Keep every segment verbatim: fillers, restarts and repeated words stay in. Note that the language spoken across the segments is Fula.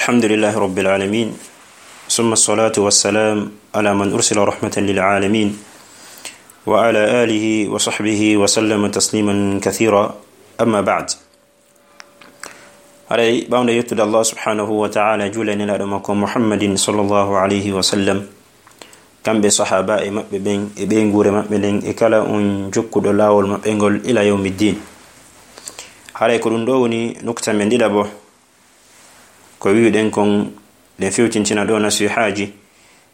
الحمد لله رب العالمين، ثم الصلاة والسلام على من أرسل رحمة للعالمين، وعلى آله وصحبه وسلم تسليما كثيرا. أما بعد. Haray ɓawnde yettude Allah subhanahu wa ta'ala, juula e nelaaɗo makko Muhammadin sallallahu alayhi wa sallam, kamɓe sahaaba e maɓɓe ɓen, e ɓeynguure maɓɓe nden, e kala on jokkuɗo laawol maɓɓe ngol ila yawmi ddin. Haray ko ɗum ɗo woni nukta men ɗiɗaɓo, ko wi'uɗen kon, ɗen fewtintina ɗo nasihaaji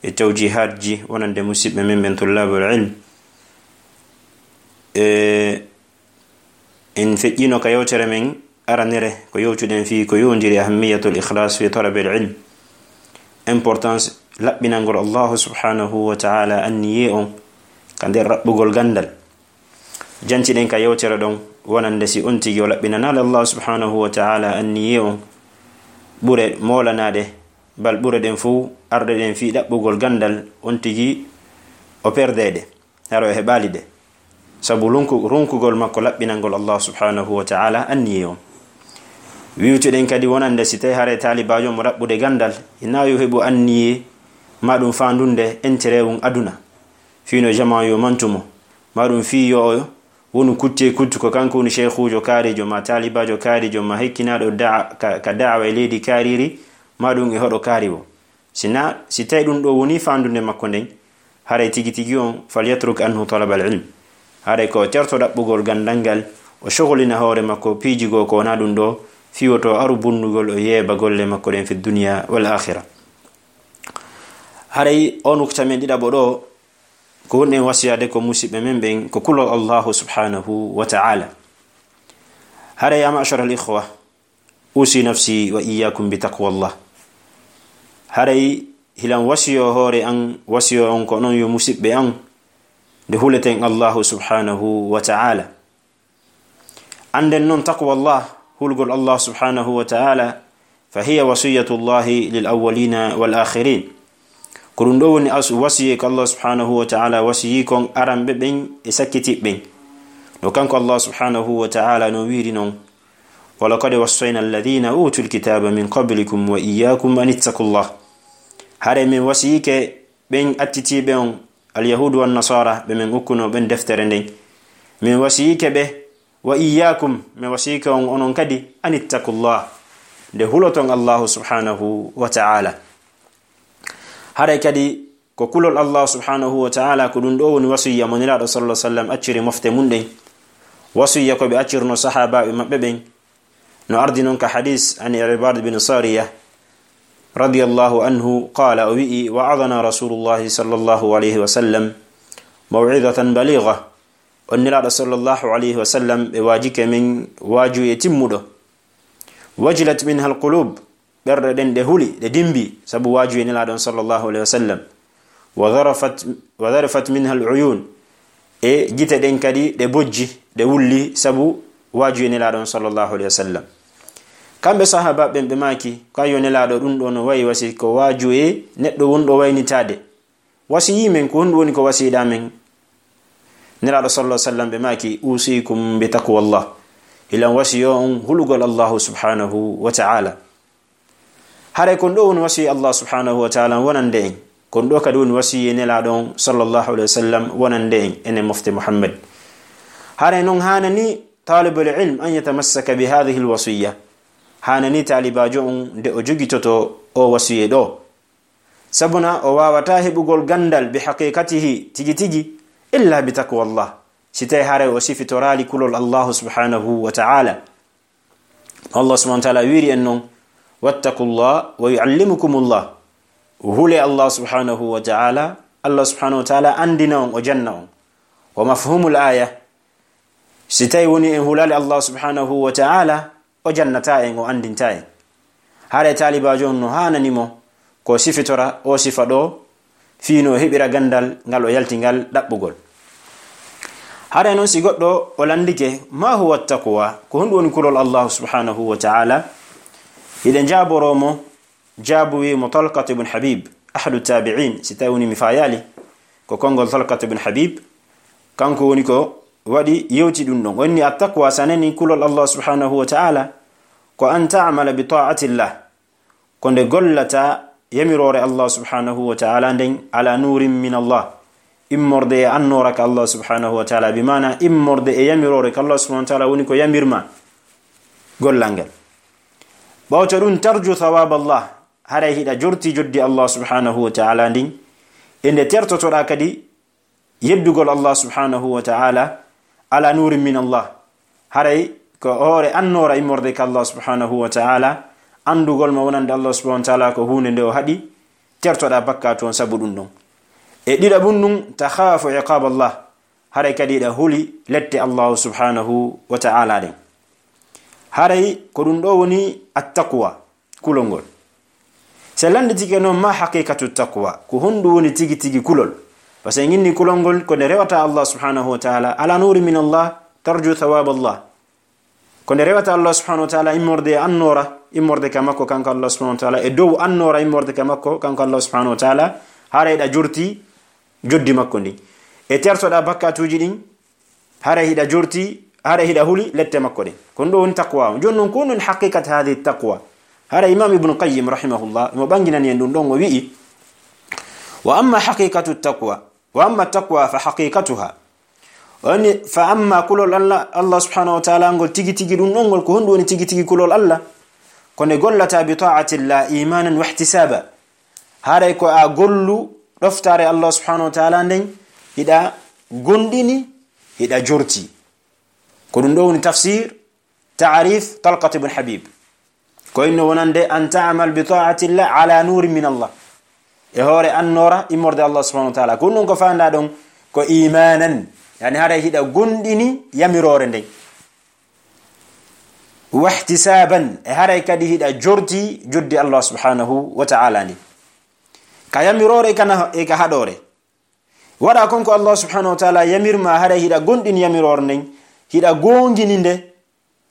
e tawjihaatji wonande musiɓɓe men ɓen tullabul ilm. E en feƴƴino ka yewtere men aranere ko yewtuɗen fii ko yowndiri ahammiyatul ikhlas fi talabil ilm, importance laɓɓinangol Allahu subhanahu wa ta'ala anniyee on ka nder raɓɓugol ganndal. Jantiɗen ka yewtere ɗon wonande si on tigi o laɓɓinanaali Allah subhanahu wa ta'ala anniyee on, ɓure moolanaade, bal ɓure ɗen fow arde ɗen fii ɗaɓɓugol ganndal, on tigi o perdeede, hara o heɓaali ɗe. Sabu runku-, runkugol makko laɓɓinangol Allah subhanahu wa ta'ala anniyee on. Wiwtuɗen kadi wonande si tawi haray taalibaajo mo ɗaɓɓude ganndal, hinaa yo heɓu anniyee maa ɗum faandunde intérêt un aduna. Fii no jamaa yo mantu mo, maa ɗum fii yo o wonu kutte e kuttu, ko kanko woni sheykhuujo kaariijo, maa taalibaajo kaariijo, maa hekkinaaɗo da'a-, ka, ka da'awa e leydi kaariiri, maa ɗum e hoɗo kaariwo. Si na, si tawi ɗum ɗo woni faandunde makko nden, haray tigi tigi on, falyatruk anhu talabal ilm. Haray ko o terto ɗaɓɓugol ganndal ngal, o sogolina hoore makko piiji goo ko wonaa ɗum ɗo, fii woto aru bunnugol o yeeba golle makko ɗen fi dunya wal akhira. Haray o nukta men ɗiɗaɓo ɗo, ko woni en wasiyaade ko musiɓɓe men ɓen ko kulol Allahu subhanahu wa ta'ala. Haray, ya ma'shar al ikhwa, usi nafsi wa iyyakum bi taqwallah. Haray hilan wasiyo hoore an, wasiyo on ko non yo musiɓɓe an, nde huleten Allahu subhanahu wa ta'ala. Annden non taqwallah, hulgol Allah subhanahu wa ta'ala, fa hiya wasiyatullahi lil awwalina wal akhirin. Ko ɗum ɗo woni as-, wasiyee ko Allah subhanahu wa ta'ala wasiyii kon aranɓe ɓen e sakkitiɓɓe ɓen. No kanko Allah subhanahu wa ta'ala no wiiri non, "Wa laqad wassayna alladhina utul kitaba min qablikum wa iyyakum an ittaqullah." Hare min wasiyike ɓen attitiiɓe on, Alyahuudu wan Nasaara, ɓe men ukkunoo ɓen deftere nden. Min wasiyike ɓe, wa iyyaakum, min wasiyike on onon kadi, an ittaqullah, nde huloton Allahu subhanahu wa ta'ala. Haray kadi ko kulol Allahu subhanahu wa ta'ala, ko ɗum ɗo woni wasiyya mo Nelaaɗo sallallahu alaihi wasallam acciri mofte mun ɗen. Wasiyya ko ɓe accirno sahaabaaɓe maɓɓe ɓen, no ardi non ka hadis an Irbad bin Sariya, radiyallahu anhu, qala, o wi'i, "Wa'adana Rasulullahi sallallahu alayhi wa sallam maw'idatan baligha." On Nelaaɗo sallallahu alayhi wa sallam ɓe waajike men waajuye timmuɗo. "Wajilat minha alqulub." Ɓerɗe ɗen ɗe huli, ɗe dimbi, sabu waajuye Nelaaɗo on sallallahu alayhi wa sallam. "Wa dharafat, wa dharafat minha aluyun." E gite ɗen kadi ɗe bojji, ɗe wulli, sabu waajuye Nelaaɗo on sallallahu alayhi wa sallam. Kamɓe sahaaba ɓen ɓe maaki, "Ko ayyo Nelaaɗo, ɗum ɗo no wayi wasi ko waajuye neɗɗo wonɗo waynitaade. Wasiyii men, ko honɗum woni ko wasiyiɗaa men?" Nelaaɗo sallallahu alaihi wasallam ɓe maaki, "Usikum bi taqwallah." Hilan wasiyo on hulugol Allahu subhanahu wa ta'ala. Haray kon ɗo woni wasiyi Allah subhanahu wa ta'ala wonande en. Kon ɗo kadi woni wasiyi Nelaaɗo on sallallahu alaihi wasallam wonande en, enen mofte Muhammad. Haray non haanani talibul ilm an yatamassaka bi hadhihi alwasiyya. Haanani taalibaajo on nde o jogitoto o wasiye ɗo. Sabuna o waawataa heɓugol ganndal bi haqiqatihi tigi tigi illa bi taqwallah, si tawi haray o sifitoraali kulol Allahu subhanahu wa ta'ala. Allah subhanahu wa ta'ala wiiri en non, "Wattaqullah wa yu'allimukumullah." Hule Allah subhanahu wa ta'ala, Allah subhanahu wa ta'ala andina on, o janna on. Wa mafhumul aya, si tawi woni en hulaali Allah subhanahu wa ta'ala, o jannataa en, o anndintaa en. Haray taalibaajo on no haanani mo ko sifitora o sifa ɗo, fii no o heɓira ganndal ngal o yalti ngal ɗaɓɓugol. Haray non si goɗɗo o lanndike, "Ma huwa taqwa?" Ko honɗum woni kulol Allahu subhanahu wa ta'ala? Hiɗen jaaboroo mo, jaabuwi mo Talqat ibn Habib, ahadu tabi'in, si tawi woni mi faayaali, ko konngol Talqat ibn Habib, kanko woni ko waɗi yewti ɗum ɗon. O inni, "At-taqwa, sa nani kulol Allah subhanahu wa ta'ala, ko an ta'mala bi ta'atillah, ko nde gollata yamiroore Allah subhanahu wa ta'ala nden, ala nurin min Allah, immorde e annoora ka Allah subhanahu wa ta'ala, bi maana immorde e yamiroore ka Allah subhanahu wa ta'ala woni ko yamirma gollal ngal. Ɓawto ɗum, tarju thawab Allah, haray hiɗa jorti joddi Allah subhanahu wa ta'ala ndin, e nde tertotoɗa kadi yeddugol Allah subhanahu wa ta'ala, ala nurin min Allah, haray ko hoore annoora immorde ka Allah subhanahu wa ta'ala, anndugol ma wonande Allah subhanahu wa ta'ala ko huunde nde o haɗi, tertoɗa bakkatu on sabu ɗum ɗon. E ɗiɗaɓun ɗum, takhafu iqab Allah, haray kadi hiɗa huli lette Allah subhanahu wa ta'ala ɗen. Haray ko ɗum ɗo woni attaqwa, kulol ngol. Si lannditike noon, ma haqiqatu taqwa, ko honɗum woni tigi tigi kulol? Parce que en inni kulol ngol ko nde rewata Allah subhanahu wa ta'ala, ala nuri min Allah, tarju thawab Allah. Ko nde rewata Allah subhanahu wa ta'ala immorde e annoora, immorde ka makko kanko Allah subhanahu wa ta'ala, e dow annoora immorde ka makko kanko Allah subhanahu wa ta'ala, haray hiɗa jorti joddi makko ndin. E tertoɗa bakkatuuji ɗin, haray hiɗa jorti, haray hiɗa huli lette makko ɗen. Ko ɗum ɗo woni taqwa on. Jooni non, ko honɗum haqiqat hadhihi taqwa? Haray Imam Ibn Qayyim rahimahullah, mo ɓanginani en ɗum ɗon, o wi'i, wa amma haqiqatu taqwa, wa amma taqwa fa haqiqatuha. O inni, fa amma kulol Allah, Allah subhanahu wa ta'ala ngol tigi tigi ɗum ɗon ngol, ko honɗum woni tigi tigi kulol Allah? Ko nde gollata bi ta'atillah imanan wa ihtisaba. Haray ko a gollu ɗoftaare Allah subhanahu wa ta'ala nden, hiɗa gondini, hiɗa jorti. Ko ɗum ɗo woni tafsir, ta'rif Talqat ibn Habib. Ko inno wonande an ta'mal bi ta'atillah ala nurin min Allah. E hoore annoora immorde Allah subhanahu wa ta'ala. Ko ɗum ko faanda ɗon ko imanan. Yani haray hiɗa gondini yamiroore nden. Wahtisaban, e haray kadi hiɗa jorti joddi Allah subhanahu wa ta'ala ndi. Ka yamiroore e ka na-, e ka haɗoore. Waɗa kon ko Allah subhanahu wa ta'ala yamirma, haray hiɗa gondini yamiroore nden, hiɗa gongini nde,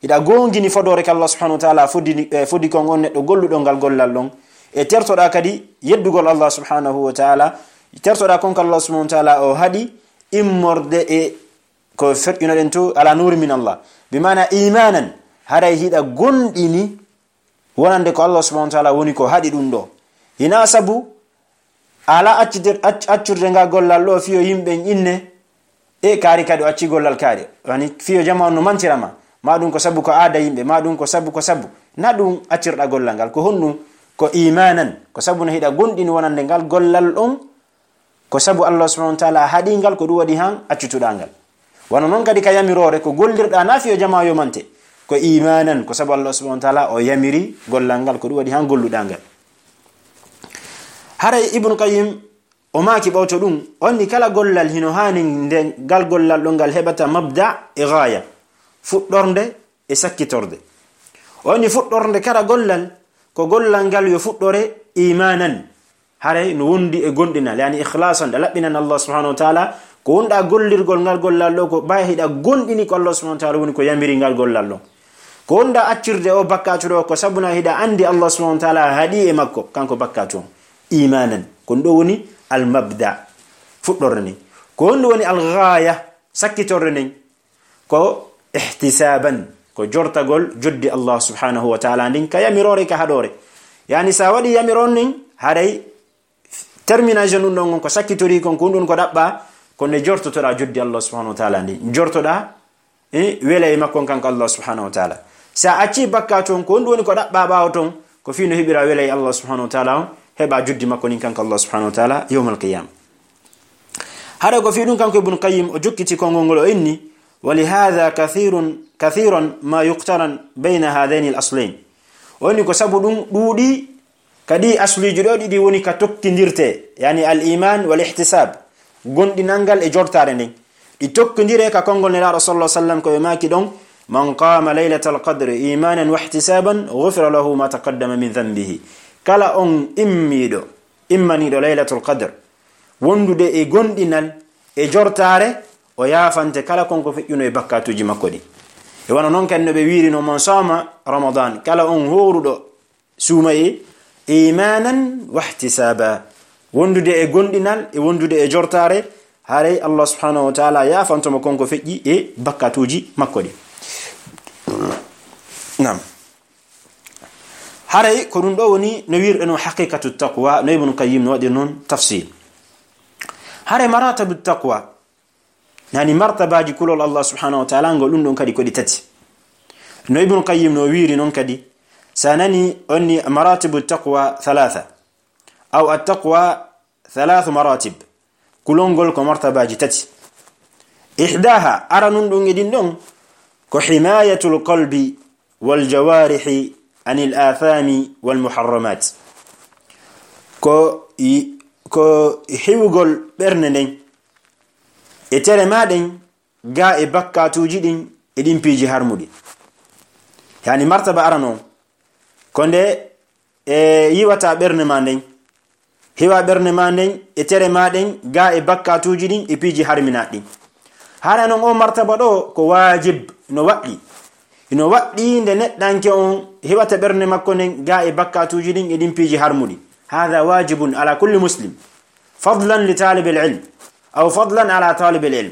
hiɗa gongini fodoore ka Allah subhanahu wa ta'ala fodi, eh, fodi kon on neɗɗo golluɗo ngal gollal ɗon. E tertoɗa kadi yeddugol Allah subhanahu wa ta'ala, tertoɗa kon ko Allah subhanahu wa ta'ala o haɗi immorde e ko ferƴunoɗen to ala nuri min Allah. Bi maana imanan, haray hiɗa gondini wonande ko Allah subhanahu wa ta'ala woni ko haɗi ɗum ɗo. Hina sabu ala accude-, acc-, accurde ngal gollal ɗo fiyo yimɓe inne, e kaari kadi o acci gollal kaari. Yani fiyo jama on no mantira ma. Ma ɗum ko sabu ko aada yimɓe, ma ɗum ko sabu, ko sabu. Na ɗum accirɗa gollal ngal, ko honɗum? Ko imanan, ko sabu no hiɗa gondini wonande ngal gollal ɗon, ko sabu Allah subhanahu wa ta'ala haɗi ngal, ko ɗum waɗi han accutuɗa ngal. Wano non kadi ka yamiroore, ko gollirɗa na fiyo jama yo mante, ko imanan, ko sabu Allah subhanahu wa ta'ala o yamiri gollal ngal, ko ɗum waɗi han golluɗa ngal. Haray Ibn Qayyim o maaki ɓawto ɗum, o inni kala gollal hino haani nde ngal gollal ɗon ngal heɓata mabda e gaaya, fuɗɗorde e sakkitorde. O inni fuɗɗorde kala gollal, ko gollal ngal yo fuɗɗore imanan, haray no wondi e gondinal, yani ikhlasan, ɗa laɓɓinan Allah subhanahu wa ta'ala, ko wonɗa gollirgol ngal gollal ɗo, ko ɓay hiɗa gondini ko Allah subhanahu wa ta'ala woni ko yamiri ngal gollal ɗo. Ko wonɗa accirde o bakkatu ɗo, ko sabuna hiɗa andi Allah subhanahu wa ta'ala haɗi e makko, kanko bakkatu on. Imanan. Ko ɗum ɗo woni al mabda, fuɗɗorde nden. Ko honɗum woni al ghaya, sakkitorde nden? Ko ihtisaban, ko jortagol joddi Allah subhanahu wa ta'ala ndin, ka yamiroore, ka haɗoore. Yani sa waɗi yamiroore nden, haray termination ɗum ɗon ko sakkitori kon, ko ɗum ko ɗaɓɓa, ko nde jortotoɗa joddi Allah subhanahu wa ta'ala ndin. Jortoɗa, eh, wela e makko kanko Allah subhanahu wa ta'ala. Sa acci bakkatu on, ko ɗum woni ko ɗaɓɓa ɓaawo ton, ko fii no heɓira wela e Allah subhanahu wa ta'ala on, heɓa joddi makko ndin kanko Allah subhanahu wa ta'ala yawmal qiyama. Hara ko fii ɗum kanko Ibn Qayyim o jokkiti konngol ngol o inni, wa li hadha kathirun, kathiran ma yuqtaran bayna hadhayni al aslayn. O inni ko sabu ɗum ɗuuɗi ka ɗi asluuji ɗo ɗiɗi woni ka tokkindirte, yani al iman wal ihtisab, gondinal ngal e jortaare nden. Ɗi tokkindire ka konngol Nelaaɗo sallallahu alaihi wasallam ko ɓe maaki ɗon, man qama laylatal qadri imanan wa ihtisaban ghufira lahu ma taqaddama min dhanbihi. Kala on immiiɗo, immaniiɗo laylatul qadr, wondude e gondinal e jortaare, o yaafante kala kon ko feƴƴuno e bakkatuuji makko ɗin. E wano non kadi no ɓe wiiri no, man sama ramadan, kala on hooruɗo suumaye imanan wahtisaba, wondude e gondinal e wondude e jortaare, haray Allah subhanahu wa ta'ala yaafanto mo kon ko feƴƴi e bakkatuuji makko ɗin. Naam. Haray ko ɗum ɗo woni no wiirɗe non haqiqatu taqwa, no Ibn Qayyim no waɗi non tafsir. Haray maratabu taqwa, yani martabaaji kulol Allah subhanahu wa ta'ala, ngol ɗum ɗon kadi ko ɗi tati. No Ibn Qayyim no wiiri non kadi, sa nani onni maratibu taqwa thalatha, aw at-taqwa thalathu maratib. Kulol ngol ko martabaaji tati. Ihdaha, aranun ɗum e ɗin ɗon, ko himayatul qalbi wal jawarihi anil athami wal muharramat. Ko i-, ko hiwugol ɓernde nden e tere ma ɗen, ga e bakkatuuji ɗin e ɗin piiji harmuɗi. Yani martaba arano, ko nde e yiwata ɓernde ma nden, hiwa ɓernde ma nden e tere ma ɗen, ga e bakkatuuji ɗin e piiji harminaaɗi ɗin. Hara non o martaba ɗo ko waajib, no waɗɗi. Ino waɗɗi nde neɗɗanke on hiwata ɓernde makko nden ga e bakkatuuji ɗin e ɗin piiji harmuɗi. Hada wajibun ala kulli muslim, fadlan li talibil ilm, aw fadlan ala talibil ilm.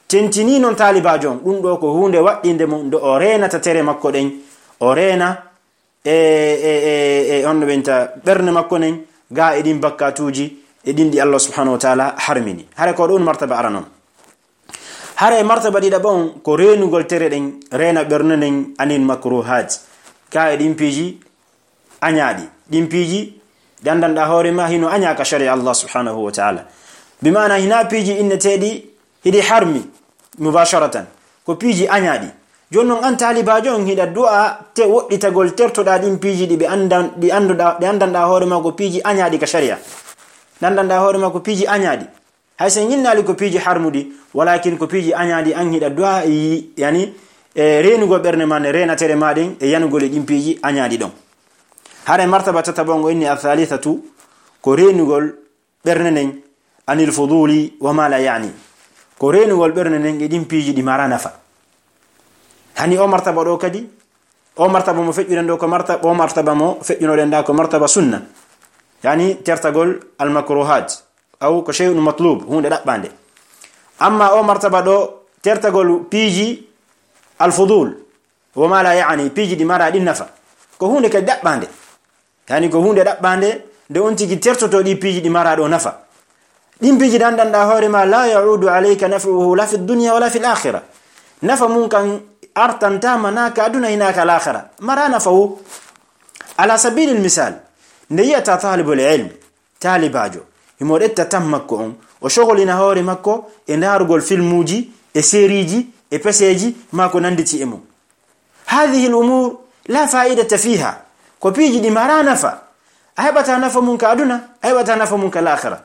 Tentini non taalibaajo on, ɗum ɗo ko huunde waɗɗinde mo nde o reenata tere makko ɗen, o reena e, e, e, e on no ɓenta ɓernde makko nden, ga e ɗin bakkatuuji, e ɗin ɗi Allah subhanahu wa ta'ala harmini. Hare ko ɗum martaba arano. Hare martaba ɗiɗaɓo on ko reenugol tere ɗen, reena ɓernde nden anil makruhat, ga e ɗin piiji añaaɗi. Ɗin piiji ɗi anndanɗa hoore ma hino añaa ka sharia Allah subhanahu wa ta'ala. Bi maana hina piiji inneteeɗi hiɗi harmi mubasharatan. Ko piiji añaaɗi. Jooni non an taalibaajo on hiɗa du'a te woɗɗitagol tertoɗa ɗin piiji ɗi ɓe anndan-, ɗi annduɗa, ɗi anndanɗa hoore ma ko piiji añaaɗi ka sharia. Ɗi anndanɗa hoore ma ko piiji añaaɗi. Hay so en innaali ko piiji harmuɗi, walakin ko piiji añaaɗi an hiɗa du'a yi-, yani, e reenugol ɓernde ma nde, reena tere ma ɗen, e yanugol e ɗin piiji añaaɗi ɗon. Hare martaba tataɓo ngo inni al-thalithatu, ko reenugol ɓernde nden anil fuduli wa ma la yani. Ko reenugol ɓernde nden e ɗin piiji ɗi mara nafa. Hani o martaba ɗo kadi, o martaba mo feƴƴuɗen ɗo ko marta-, o martaba mo feƴƴunoɗen ɗa ko martaba sunna. Yani tertagol al makruhat, aw ko shay'un matlub, huunde ɗaɓɓande. Amma o martaba ɗo tertagol piiji al fudul, wa ma la yani, piiji ɗi mara ɗin nafa, ko huunde kadi ɗaɓɓande. Yani ko huunde ɗaɓɓande nde on tigi tertoto ɗi piiji ɗi mara ɗo nafa. Ɗin piiji ɗi anndanɗa hoore ma, la ya'udu alayka naf'uhu la fi dunya wala fil akhirah. Nafa mun kan artantama na ka aduna hina ka lakhira. Mara nafa wo. Ala sabilil misal, nde yiyata talibul ilm, taalibaajo, himo ɗetta tan makko on, o shogolina hoore makko e ndaarugol filmuuji, e seriiji, e peseeji, ma ko nanditi e mum. Hadhihi al umur la fa'idata fiha. Ko piiji ɗi mara nafa. A heɓata nafa mum ka aduna, a heɓata nafa mum ka lakhira.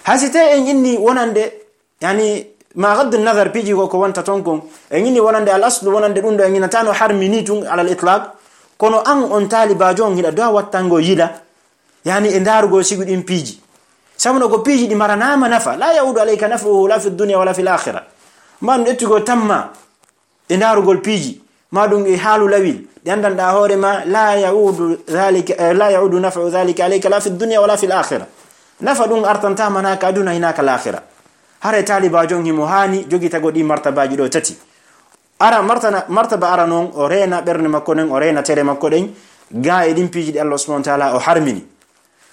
Hay si tawi en inni wonande, yani, ma gaddu nadar piiji ko, ko wonta ton kon, en inni wonande al aslu, wonande ɗum ɗo en innatano harmi ni tun alal itlaq, kono an on taalibaajo on hiɗa du'a wattango yila, yani, e ndaarugol sigu ɗin piiji. Sabu no ko piiji ɗi maranama nafa, la ya'udu alayka naf'uhu la fi dunya wala fil akhirah. Man ɗettugol tamma e ndaarugol piiji, ma ɗum e haalu lawil, ɗi anndanɗa hoore ma, la ya'udu dhalika, eh, la ya'udu naf'u dhalika alayka la fi dunya wala fil akhirah. Nafa ɗum artantama na ka aduna hina ka lakhira. Hare taalibaajo on himo haani jogitago ɗi martabaaji ɗo tati. Ara martana, martaba ara non, o reena ɓernde makko nden, o reena tere makko ɗen, ga e ɗin piiji ɗi Allah subhanahu wa ta'ala o harmini.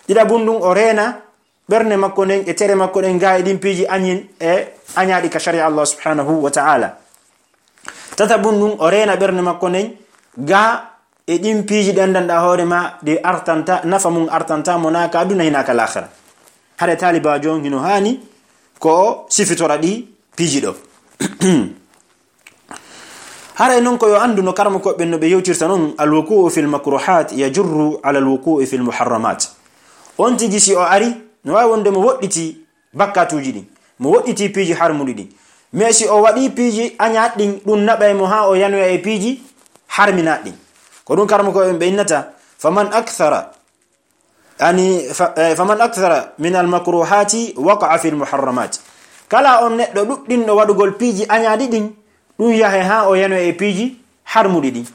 Ɗiɗaɓun ɗum, o reena ɓernde makko nden e tere makko ɗen ga e ɗin piiji añin e añaaɗi ka sharia Allah subhanahu wa ta'ala. Tataɓun ɗum, o reena ɓernde makko nden ga e ɗin piiji ɗi anndanɗa hoore ma ɗi artanta, nafa mum artanta mo na ka aduna hina ka lakhira. Hare taalibaajo on hino haani ko o sifitora ɗi piiji ɗo. Haray non ko yo anndu no karmakoɓe ɓen no ɓe yewtirta non, al wuku'u fil makruhat yajurru ala al wuku'u fil muharramat. On tigi si o ari, no waawi wonde mo woɗɗiti bakkatuuji ɗin, mo woɗɗiti piiji harmuɗi ɗin. Mais si o waɗi piiji añaaɗi ɗin, ɗum naɓay mo haa o yanoya e piiji harminaaɗi ɗin. Ko ɗum karmakoɓe ɓen ɓe innata, faman akthara Yani, fa-, eh, faman akthara min al makruhati waqa'a fil muharramat. Kala on neɗɗo ɗuɗɗinɗo waɗugol piiji añaaɗi ɗin, ɗum yahe haa o yano e piiji harmuɗi ɗin.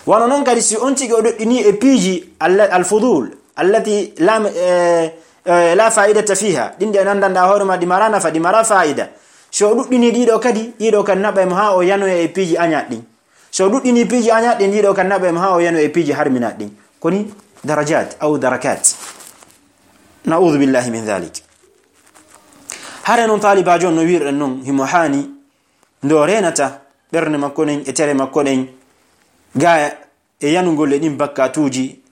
Wano non kadi si on tigi o ɗuɗɗini e piiji alla-, al fudul, allati la, eh, eh, la fa'idata fiha, ɗin ɗi anndanɗa hoore ma ɗi mara nafa, ɗi mara fa'ida. Si o ɗuɗɗini ɗiɗo kadi, ɗiɗo kadi naɓay mo haa o yanoya e piiji añaaɗi ɗin. So ɗuɗɗini piiji añaaɗi ɗin, ɗiɗo kan naɓa mo haa o yano e piiji harminaaɗi ɗin. Koni darajat aw darakat. Na'udhu billahi min dhalik. Hare non taalibaajo on no wi'irɗen non, himo haani ndo reenata ɓernde makko ɗen e tere makko ɗen, gaaya e yanugol e ɗin bakkatuuji,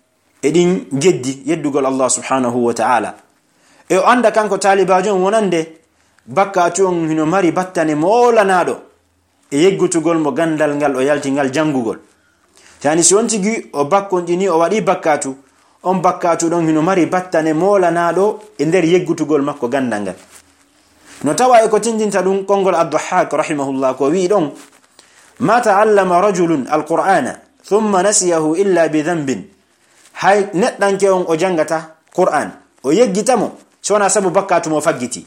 e ɗin geddi yeddugol Allah subhanahu wa ta'ala. E o annda kanko taalibaajo on wonande bakkatu on hino mari battane moolanaaɗo e yeggutugol mo gandal ngal o yalti ngal jangugol. Yani si on tigi o bakkonɗini, o waɗi bakkatu, on bakkatu ɗon hino mari battane moolanaaɗo e nder yeggutugol makko gandal ngal. No tawa e ko tindinta ɗum konngol Ad-Dahhak rahimahullah ko wi'i ɗon, "Ma ta'allama rajulun al-Qur'ana thumma nasiyahu illa bi dhanbin." Hay neɗɗanke on o jangata Qur'an, o yeggita mo, so wonaa sabu bakkatu mo faggiti.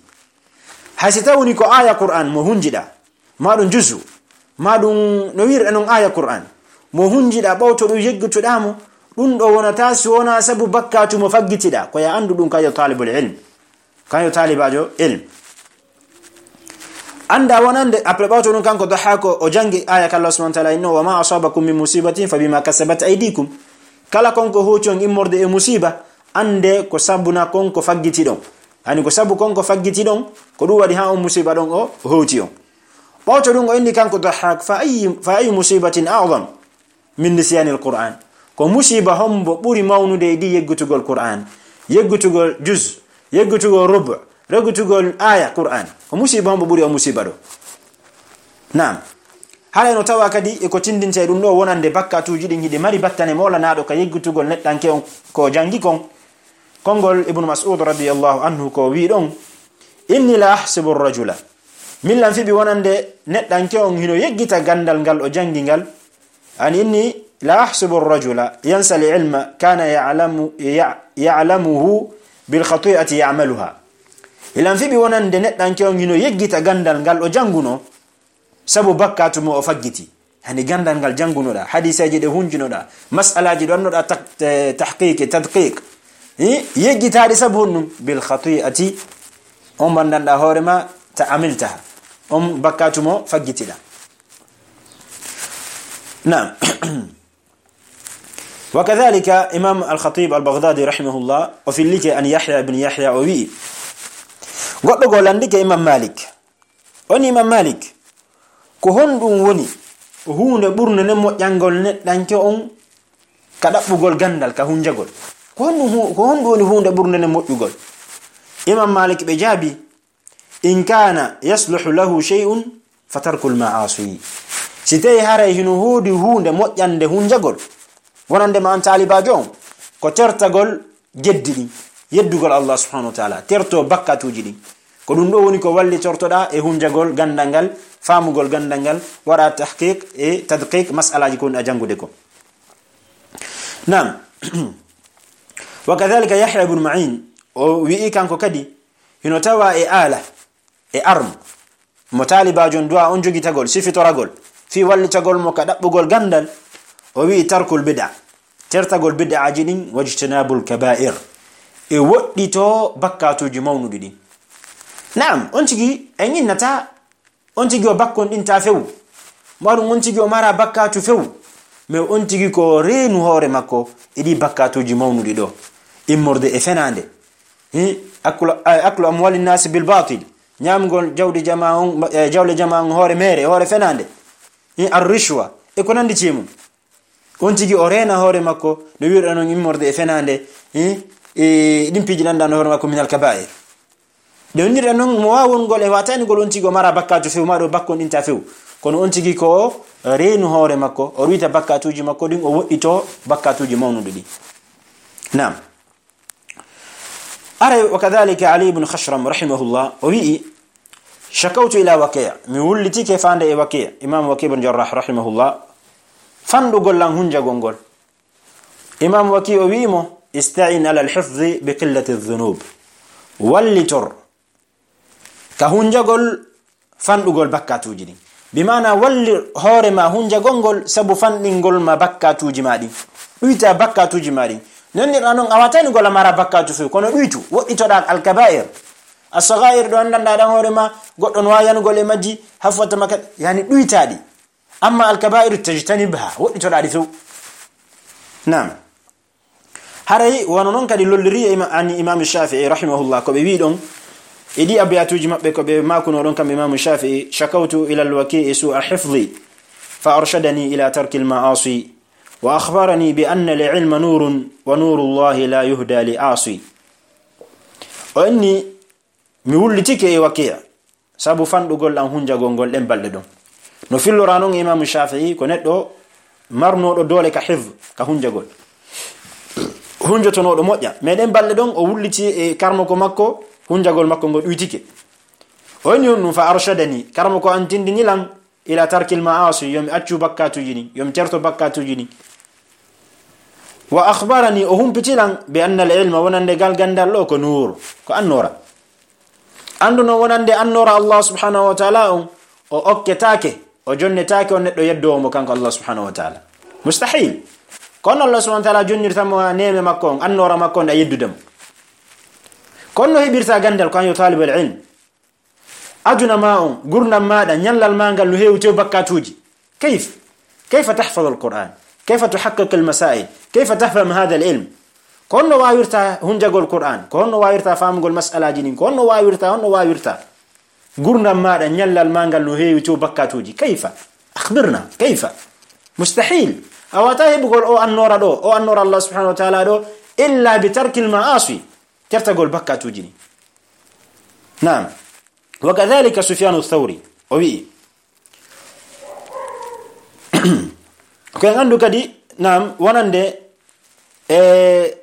Hay si tawni ko aya Qur'an mo hunjiɗa, ma ɗum juzu, ma ɗum no wi'irɗa non aya Qur'an, mo hunjiɗa ɓawto ɗum yeggutuɗa mo, ɗum ɗo wonata si wonaa sabu bakkatu mo faggitiɗa. Ko ya anndu ɗum kayo talibul ilm, kayo talibajo ilm. Annda wonande, après ɓawto ɗum kanko Dahhak o jangi aya ka Allah subhanahu wa ta'ala inno, "Wa ma asabakum min musibatin fa bima kasabat aydikum." Kala kon ko hoti on immorde e musiba, annde ko sabuna kon ko faggiti ɗon. Hani ko sabu kon ko faggiti ɗon, ko ɗum waɗi ha on musiba ɗon o hoti on. Ɓawto ɗum o inni kanko Dahhak, "Fa ayyi, fa ayyu musibatin a'zam min nisyanil Qur'an?" Ko musiba hombo ɓuri mawnude e ɗi yeggutugol Qur'an, yeggutugol juz, yeggutugol rubu, yeggutugol aya Qur'an? Ko musiba hombo ɓuri o musiba ɗo? Naam. Haray no tawa kadi e ko tindinte e ɗum ɗo wonande bakkatuuji ɗin hiɗi mari battane moolanaɗo ka yeggutugol neɗɗanke on ko jangi kon. Konngol Ibnu Mas'ud radiyallahu anhu ko wi ɗon, "Inni la ahsibu rajula." Min lan fiɓi wonande neɗɗanke on hino yeggita gandal ngal o jangi ngal. An inni la ahsibu rajula yansali ilma kana ya'lamu, ya-, ya'lamuhu bil khati'ati ya'maluha. Ilan fiɓi wonande neɗɗanke on hino yeggita gandal ngal o janguno sabu bakkatu mo o faggiti. Hani gandal ngal jangunoɗa, hadiseeji ɗe hunjunoɗa, mas'alaaji ɗo annoɗa tak-, eh, tahqiq e tadqiq. Eh, yeggitaɗi sabu honɗum? Bil khati'ati, on bandanɗa hoore ma ta amiltaha. On bakkatu mo faggitiɗa. Naam. Wa kadhalika Imam Al-Khatib Al-Baghdadi rahimahullah, o fillike an Yahya ibn Yahya, o wi'i, goɗɗo goo landike Imam Malik. On Imam Malik, ko honɗum woni huunde ɓurnde nden moƴƴangol neɗɗanke on ka ɗaɓɓugol gandal, ka hunjagol? Ko honɗum hu-, ko honɗum woni huunde ɓurnde nden moƴƴugol? Imam Malik ɓe jaabi, "In kana yasluhu lahu shay'un fa tarkul ma'asi." Si tawi haray hino hoodi huunde moƴƴande hunjagol, wonande ma an taalibaajo on, ko tertagol geddi ɗin, yeddugol Allah subhanahu wa ta'ala, terto bakkatuuji ɗin. Ko ɗum ɗo woni ko wallitortoɗa e hunjagol gandal ngal, faamugol gandal ngal, waɗa tahqiq e tadqiq mas'alaaji ko woni a jangude ko. Naam. Wa kadhalika Yahya ibn Ma'in, o wi'i kanko kadi, hino tawa e aala, e arm, mo taalibaajo on du'a on jogitagol, sifitoragol, fii wallitagol mo ka ɗaɓɓugol gandal, o wi'i tarkul bid'a, tertagol bid'aaji ɗin, wajtinabul kaba'ir, e woɗɗito bakkatuuji mawnuɗi ɗin. Naam, on tigi en innata, on tigi o bakkonɗinta few, ma ɗum on tigi o mara bakkatu few, mais on tigi ko reenu hoore makko e ɗi bakkatuuji mawnuɗi ɗo, immorde e fenaande. Hi, aklu, eh, aklu amwali nasi bil batil, ñaamgol jawdi jama on, eh, jawle jama on hoore meere, hoore fenaande. Hi, ar rishwa, e ko nandi ci e mum. On tigi o reena hoore makko, no wi'irɗa non immorde e fenaande, hi, e ɗin piiji ɗanɗano hoore makko minal kaba'ir. Ɗe wondirɗa non mo waawongol e watanigol on tigi o mara bakkatu few, ma ɗo bakkonɗinta few. Kono on tigi ko reenu hoore makko, o ɗuyta bakkatuuji makko ɗin, o woɗɗito bakkatuuji mawnuɗi ɗin. Naam. Aray, wa kadhalika Ali ibn Khashram rahimahullah, o wi'i, "Shakawtu ila Waki', mi wullitike faande e Waki', Imam Waki' ibn Jarrah rahimahullah, fanɗugol lan hunjagol ngol." Imam Waki' o wi'i mo, "Ista'in ala al-hifzi bi qillati dhunub." Wallitor ka hunjagol fanɗugol bakkatuuji ɗin. Bi maana walli hoore ma hunjagol ngol sabu fanɗingol ma bakkatuuji ma ɗin. Ɗuyta bakkatuuji ma ɗin. Nonnirɗa non a watani ngol a mara bakkatu few, kono ɗuytu, woɗɗitoɗa al-kaba'ir. As-sagha'ir ɗo anndanɗa ɗan hoore ma, goɗɗo no waawi yanugol e majji, hafwata ma ka-, yani ɗuytaɗi. Amma alkaba'ir tajtanibha, woɗɗitoɗaa ɗi few. Naam. Haray wano non kadi lolliri e ima-, an Imaamu Shaafi'i rahimahullah, ko ɓe wi'i ɗon, e ɗi abiyatuuji maɓɓe ko ɓe maakunoo ɗon kamɓe Imaamu Shaafi'i: "Shakawtu ila al-Waki'i su'a hifzi, fa arshadani ila tarki al-ma'asi, wa akhbarani bi anna al-ilma nurun, wa nuru Allahi la yuhda li asi." O inni, mi wullitike e Waki'a, sabu fanɗugol an hunjagol ngol ɗen balɗe ɗon. No fillora non Imaamu Shaafi'i ko neɗɗo marnooɗo doole ka hifz, ka hunjagol. Hunjotonooɗo moƴƴa. Mais ɗen balɗe ɗon o wulliti e karmoko makko, hunjagol makko ngol ɗuytike. O inni on ɗum, fa arshadani, karmoko an tindini lan, ila tarkil ma'asi, yo mi accu bakkatuuji ɗin, yo mi terto bakkatuuji ɗin. Wa akhbarani, o humpiti lan, bi anna al ilma, wonande gal gandal ɗo ko nuur, ko annoora. Anndu non wonande annoora Allah subhanahu wa ta'ala on, o okketaake, o jonnetaake on neɗɗo yeddoowo mo kanko Allah subhanahu wa ta'ala. Mustahil. Kono Allah subhanahu wa ta'ala jonnirta mo neema makko on, annoora makko on, a yeddude mo. Kono no heɓirta gandal ko an yo talibul ilm. Aduna ma on, gurdam maɗa, ñallal ma ngal no heewi tew bakkatuuji. Kayf? Kayfa tahfaz al-Qur'an? Kayfa tuhaqqiq al-masail? Kayfa tafham hadha al-ilm? Ko honno wawirta hunjagol Qur'an? Ko honno wawirta famugol mas'alaji ɗin? Ko honno wawirta, honno wawirta? Gurdam maɗa, ñallal ma ngal no heewi tew bakkatuuji. Kayfa? Akhbirna, kayfa? Mustahil. A wata heɓugol o annoora ɗo, o annoora Allah subhanahu wa ta'ala ɗo, illa bi tarkil ma'asi. Tertagol bakkatuuji ɗin. Naam. Wa kadhalika Sufyanu Thawri, o wi'i. Ko en anndu kadi, naam, wonande e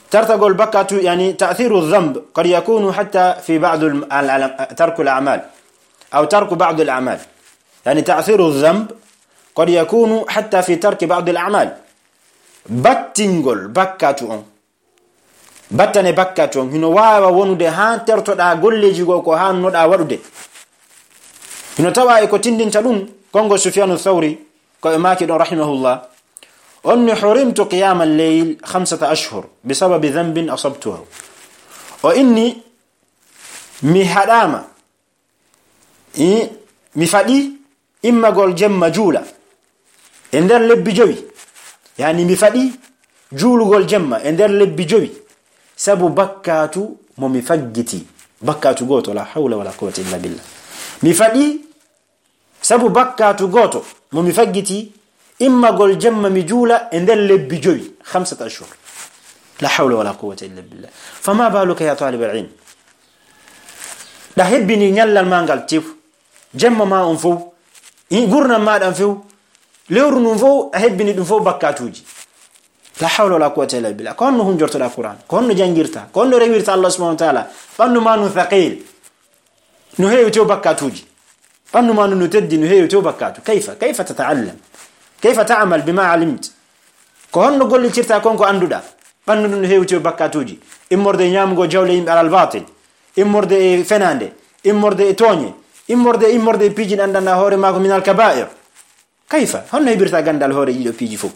tertagol bakkatu, yani, ta'thiru dhanb qad yakunu hatta fi ba'd al, al, al, tarku al a'mal, aw tarku ba'd al a'mal. Yani, ta'thiru dhanb qad yakunu hatta fi tarki ba'd al a'mal. Battingol bakkatu on. Battane bakkatu on, hino waawa wonude haa tertoɗaa golleeji goo ko haannoɗaa waɗude. Hino tawa e ko tindinta ɗum, konngol Sufyanu Thawri, ko ɓe maaki ɗon rahimahullah, on ni: "Hurimtu qiyama al-layl khamsata ashhur bi sababi dhanbin asabtuhu." O inni, mi haɗaama, i, mi faɗi immagol jemma juula e nder lebbi jowi. Yani, mi faɗi juulugol jemma e nder lebbi jowi sabu bakkatu mo mi faggiti. Bakkatu gooto, la hawla wala quwwata illa billah. Mi faɗi sabu bakkatu gooto mo mi faggiti, immagol jemma mi juula e nder lebbi jowi, khamsata ashhur. La hawla wala quwwata illa billah. Fama baluka ya talib al-ilm? Ɗa hebbini ñallal ma ngal tew, jemma ma on fow, i gurnam ma ɗan few, lewru ndun fow, a hebbini ɗum fow bakkatuuji. La hawla wala quwwata illa billah. Ko honno hunjortoɗaa Qur'an? Ko honno janngirta? Ko honno rewirta Allah subhanahu wa ta'ala? Ɓanndu ma ndun thaqil. No heewi tew bakkatuuji. Ɓanndu ma ndun no teddi, no heewi tew bakkatu. Kayfa? Kayfa tata'allam? Kayfa ta'mal bima alimt? Ko honno gollitirta kon ko annduɗaa? Ɓanndu ndun no heewi tew bakkatuuji. Immorde e ñaamugol jawle yimɓe alal batil. Immorde e fenaande. Immorde e tooñe. Immorde, immorde e piiji ɗi anndanɗaa hoore maako min al kaba'ir. Kayfa? Honno heɓirta gandal hoore ɗiɗo piiji fow?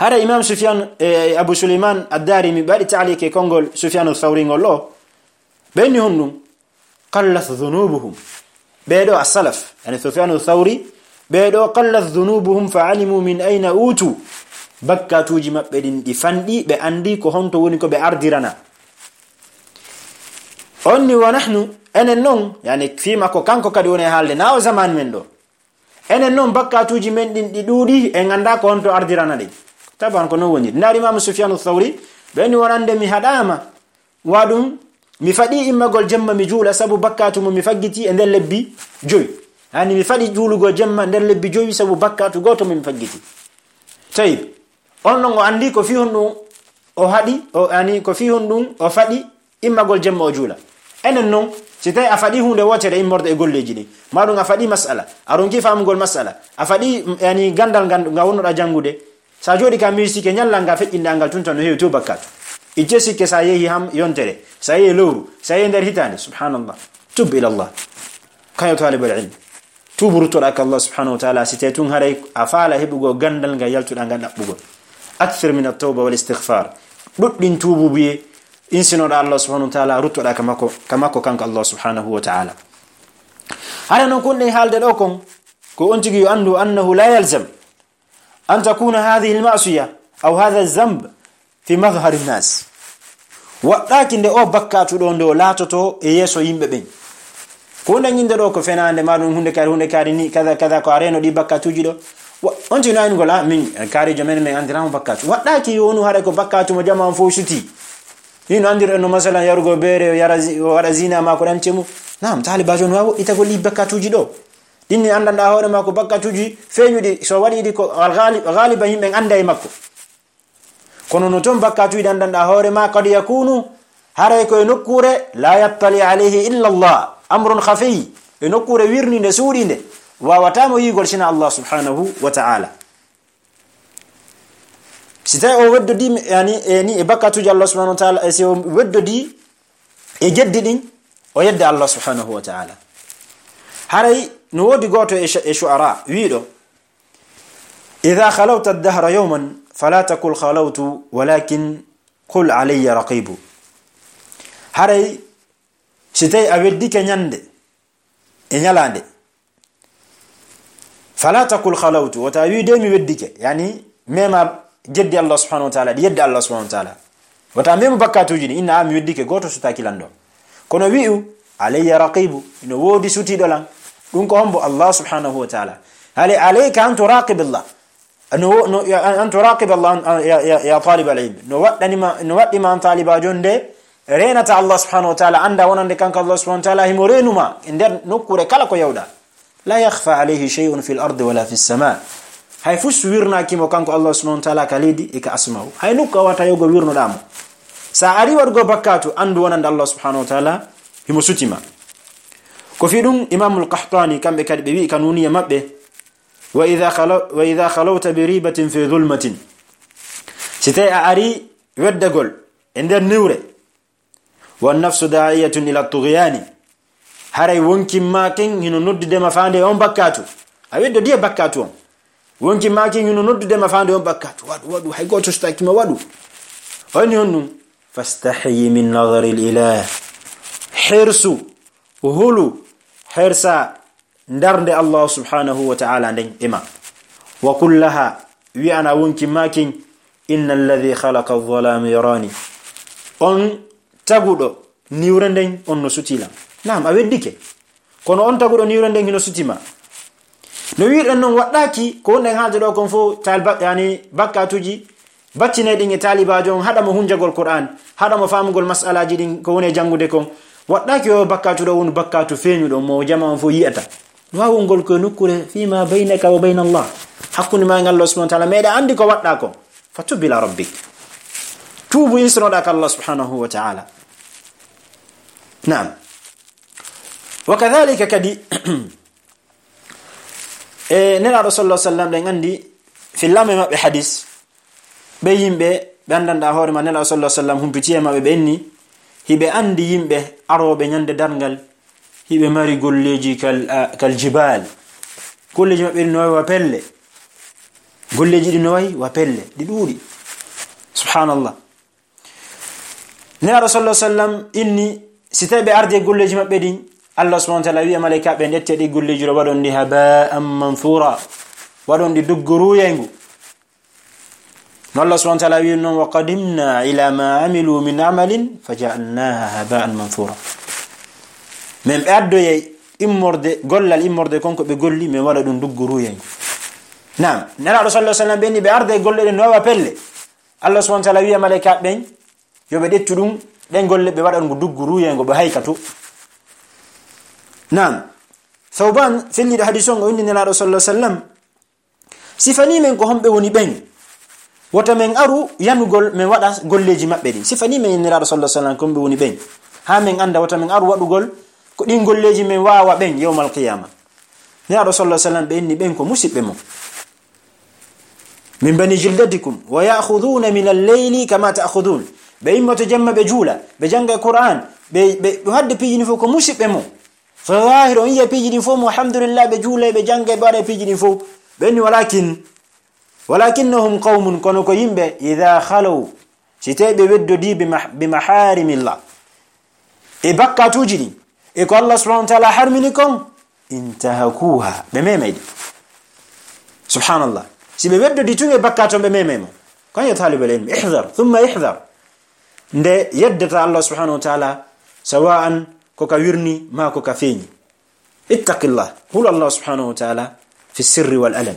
Hara Imam Sufyan, e Abu Suleyman Ad-Darimi ɓe waɗi ta'liq e konngol Sufyanu Thawri ngol ɗo. Ɓe inni honɗum? Qallat dhunubuhum. Ɓee ɗo as-salaf, yani Sufyanu Thawri, ɓee ɗo qallat dhunubuhum fa alimu min ayna utu. Bakkatuuji maɓɓe ɗin ɗi fanɗi, ɓe anndi ko honto woni ko ɓe ardirana. On ni wa nahnu, enen non, yani fii makko kanko kadi woni e haalde, na o zaman men ɗo. Enen non bakkatuuji men ɗin ɗi ɗuuɗi, en anndaa ko honto ardirana ɗin. Taban ko non woni. Ndaar Imaamu Sufyanu Thawri, ɓe ni wonande mi haɗaama, wa ɗum, mi faɗi immagol jemma mi juula sabu bakkatu mo mi faggiti e nder lebbi jowi. Yani mi faɗi juulugol jemma nder lebbi jowi sabu bakkatu gooto mo mi faggiti. Tayyib. On non o anndi ko fii honɗum o haɗi, o, yani ko fii honɗum o faɗi immagol jemma o juula. Enen non, si tawi a faɗi huunde wootere immorde e golleeji ɗin, maa ɗum a faɗi mas'ala, a ronki faamugol mas'ala, a faɗi, yani, gandal ngal nga wonnoɗaa janngude, sa jooɗi ka miiji sikke ñallal ngal feƴƴinɗaa ngal tun tan no heewi tew bakkatu. Itte sikke sa yehi ham yontere, sa yehi lewru, sa yehi nder hitaande, subhanallah. Tub ila Allah. Kayo talibal ilm. Tuubu ruttoɗaa ka Allah subhanahu wa ta'ala, si tawi tun haray a faala heɓugol gandal ngal yaltuɗaa ngal ɗaɓɓugol. Akthir min at-tawba wal istighfar. Ɗuɗɗin tuubuubuye, insinoɗaa Allah subhanahu wa ta'ala, ruttoɗaa ka makko, ka makko kanko Allah subhanahu wa ta'ala. Hara noon kon ɗen haalde ɗo kon, ko on tigi yo anndu annahu la yalzam an takuna hadhihi alma'siya aw hadha alzanb fi madhhari nnas. Waɗɗaaki nde o bakkatu ɗo ndo laatoto e yeeso yimɓe ɓen. Ko nde ñinde ɗo ko fenaande, ma ɗum hunde kaari, hunde kaari ni, kaza, kaza, ko a reeno ɗi bakkatuuji ɗo. Wa-, on tigi no aynugol, a, min, kaarijo men, men andirama bakkatu. Waɗɗaaki yo wonu haray ko bakkatu mo jamaa on fof suti. Ni no andir en no masalan yarugo beere, o yara zi-, o waɗa zina ma ko ɗan cemu. Naam, taalibaajo no waawi woɗɗitagol ɗi bakkatuuji ɗo. Ɗin ni anndanɗaa hoore ma ko bakkatuuji feeñuɗi, so waɗi ɗi ko al-, ghalib-, galiban yimɓe annda e makko. Kono no toon bakkatuuji ɗi anndanɗaa hoore ma, qad yakunu, haray ko e nokkuure, la yattali alayhi illa Allah, amrun khafiy, e nokkuure wirninde, suuɗinde, waawataa mo yiigol sina Allah subhanahu wa ta'ala. Si tawi o weddodii, yani, e ni e bakkatuuji Allah subhanahu wa ta'ala, e si o weddodii e geddi ɗin, o yedda Allah subhanahu wa ta'ala. Haray no woodi gooto e shu-, e shu'ara wiiɗo, "Idha khalawta ad-dahra yawman, fala taqul khalawtu, walakin qul alayya raqibu." Haray si tawi a weddike ñande e ñalaande, "Fala taqul khalawtu," wota wiide mi weddike, yani mema geddi Allah subhanahu wa ta'ala, ɗi yedda Allah subhanahu wa ta'ala. Wota mema bakkatuuji ɗi, inna a mi weddike, gooto sutaaki lan ɗo. Kono wi'u, "Alayya raqibu," ino woodi sutiiɗo lan. Ɗum ko hombo? Allah subhanahu wa ta'ala. Hali alayka an turaqib Allah. No, no, ya, an turaqib Allah, an, ya, ya, ya talib al-ilm. No waɗɗani ma, no waɗɗi ma an taalibaajo nde reenata Allah subhanahu wa ta'ala, annda wonande kanko Allah subhanahu wa ta'ala himo reenu ma e nder nokkuure kala ko yawɗa. La yakhfa alayhi shay'un fil ardi wala fis sama. Hay fus wirnaaki mo kanko Allah subhanahu wa ta'ala ka leydi e ka asmaaw. Hay nokku a wata yogo wirnoɗaa mo. Sa ari waɗugo bakkatu, anndu wonande Allah subhanahu wa ta'ala himo suti ma. Ko fi ɗum Imamul Qahtani, kamɓe kadi ɓe wi'i ka nuniya maɓɓe, "Wa idha khalaw-, wa idha khalawta bi ribatin fi dhulmatin." Si tawi a ari weddagol e nder niwre, "wa nafsu da'iyatun ila tughyani." Haray wonkin ma ken hino noddude ma faande on bakkatu. A weddo diya bakkatu on. Wonkin ma ken hino noddude ma faande on bakkatu. Waɗu, waɗu, hay gooto sutaaki ma waɗu. O inni honɗum? "Fastahyi min nadhari al-ilah." Hirsu, hulu, hirsa, ndarnde Allah subhanahu wa ta'ala nden e ma. "Wa qul laha," wi'ana wonkin ma kin, "Inna alladhi khalaqa adh-dhalama yarani." On taguɗo niwre nden, on no suti lan. Naam, a weddike. Kono on taguɗo niwre nden hino suti ma. No wi'irɗen non, waɗɗaaki ko wonɗen haalde ɗo kon fof, taal bak-, yani, bakkatuuji baccinay ɗin e taalibaajo on, haɗa mo hunjagol Qur'an, haɗa mo faamugol mas'alaaji ɗin ko woni e janngude kon. Waɗɗaaki o bakkatu ɗo woni bakkatu feeñuɗo mo jama on fof yi'ata. Du'aawol ngol ko e nokkuure fima baynaka wa bayna Allah. Hakkunde ma e Allah subhanahu wa ta'ala, meɗa anndi ko waɗɗa ko. Fatub ila rabbik. Tuubu, insanoɗa ka Allah subhanahu wa ta'ala. Naam. Wa kadhalika kadi, e Nelaaɗo sallallahu alaihi wasallam, ɗen anndi fillaama e maɓɓe hadis, ɓe yimɓe ɓe anndanɗaa hoore ma, Nelaaɗo sallallahu alaihi wasallam humpiti e maɓɓe, ɓe inni, hiɓe anndi yimɓe arooɓe ñande darngal, hiɓe mari golleeji kal, a, kal jibal. Golleeji maɓɓe ɗin no wayi wa pelle. Golleeji ɗin no wayi wa pelle. Ɗi ɗuuɗi. Subhanallah. Nelaaɗo sallallahu alaihi wasallam inni, si tawi ɓe ardi e golleeji maɓɓe ɗin, Allah subhanahu wa ta'ala wi'a malaika ɓen, ƴettee ɗi golleeji ɗo, waɗon ɗi haba'an manthura. Waɗon ɗi dugguruyengu. No Allah subhanahu wa ta'ala wi'i non, "Wa qadimna ila ma amilu min amalin faja'alnaha haba'an manthura." Men ɓe addoyay immorde, gollal immorde kon ko ɓe golli, men waɗa ɗum dugguruyengu. Naam, Nelaaɗo sallallahu alaihi wasallam ɓe inni ɓe arda e golle ɗen no wayi wa pelle. Allah subhanahu wa ta'ala wi'a malaika ɓen, yo ɓe ƴettu ɗum, ɗen golle ɓe waɗa ɗum dugguruyengu, ɓe haykatu. Naam, Thawban, felliiɗo hadis on, o inni Nelaaɗo sallallahu alaihi wasallam, sifanii men ko homɓe woni ɓen. Wota men aru yanugol men waɗa golleeji maɓɓe ɗin. Sifanii men Nelaaɗo sallallahu alaihi wasallam ko homɓe woni ɓen. Haa men annda, wota men aru waɗugol ko ɗin golleeji men waawa ɓen yawmal qiyama. Nelaaɗo sallallahu alaihi wasallam ɓe inni ɓen ko musiɓɓe mon. Min bani jildatikum wa ya'khudhuna min al-layli kama ta'khudhun. Ɓe immoto jemma ɓe juula, ɓe jannga Qur'an, ɓe, ɓe, ɓe hadde piiji ɗin fof ko musiɓɓe mon. Fa zahir, on yiya piiji ɗin fof mo, alhamdulillah, ɓe juula, ɓe jannga, ɓe waɗa piiji ɗin fof. Ɓe inni, walakin, walakinnahum qawmun, kono ko yimɓe, idha khalaw, si tawi ɓe weddodii bi mah-, bi maharimillah, e bakkatuuji ɗin, e ko Allah subhanahu wa ta'ala harmini kon, intahakuha, ɓe memay ɗi. Subhanallah. Si ɓe weddodi tun e bakkaatu on, ɓe memay mo. Kon yo taalibal ilmi, ihdar, thumma ihdar. Nde yeddata Allah subhanahu wa ta'ala, sawa'an ko ka wirni, ma ko ka feeñi. Ittaqillah. Hulu Allah subhanahu wa ta'ala fi sirri wal alan.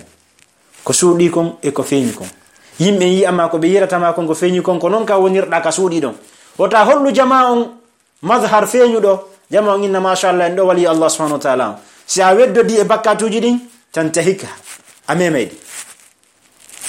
Ko suuɗi kon e ko feeñi kon. Yimɓe yi'a ma ko ɓe yi'rata ma kon ko feeñi kon, ko non ka wonirɗa ka suuɗi ɗon. Wota hollu jamaa on mazhar feeñuɗo, jamaa on inna, "Masha Allah, en ɗo wali Allah subhanahu wa ta'ala on." Si a weddodi e bakkaatuuji ɗin, tantahikha. A memay ɗi.